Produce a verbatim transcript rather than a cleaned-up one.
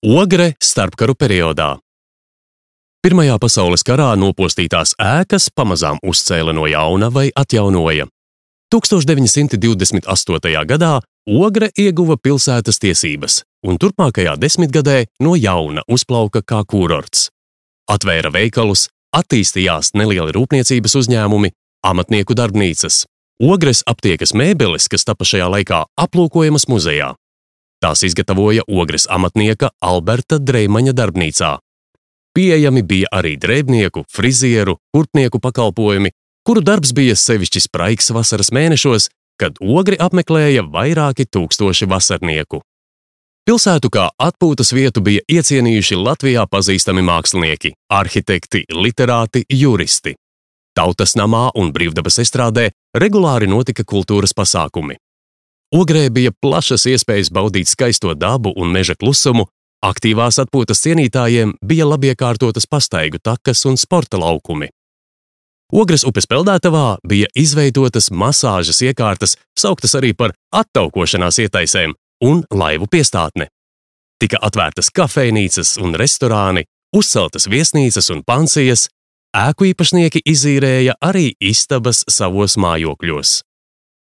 Ogre starpkaru periodā. Pirmajā pasaules karā nopostītās ēkas pamazām uzcēla no jauna vai atjaunoja. tūkstoš deviņi simti divdesmit astotajā gadā Ogre ieguva pilsētas tiesības un turpmākajā desmitgadē no jauna uzplauka kā kurorts. Atvēra veikalus, attīstījās nelieli rūpniecības uzņēmumi, amatnieku darbnīcas. Ogres aptiekas mēbeles, kas tapa šajā laikā aplūkojamas muzejā. Tās izgatavoja Ogres amatnieka Alberta Dreimaņa darbnīcā. Pieejami bija arī drēbnieku, frizieru, kurpnieku pakalpojumi, kuru darbs bija sevišķi spraigs vasaras mēnešos, kad Ogri apmeklēja vairāki tūkstoši vasarnieku. Pilsētu kā atpūtas vietu bija iecienījuši Latvijā pazīstami mākslinieki, arhitekti, literāti, juristi. Tautas namā un Brīvdabas estrādē regulāri notika kultūras pasākumi. Ogrē bija plašas iespējas baudīt skaisto dabu un meža klusumu, aktīvās atpūtas cienītājiem bija labiekārtotas pastaigu takas un sporta laukumi. Ogres upes peldētavā bija izveidotas masāžas iekārtas, sauktas arī par attaukošanās ietaisēm, un laivu piestātne. Tika atvērtas kafejnīcas un restorāni, uzceltas viesnīcas un pansijas, ēku īpašnieki izīrēja arī istabas savos mājokļos.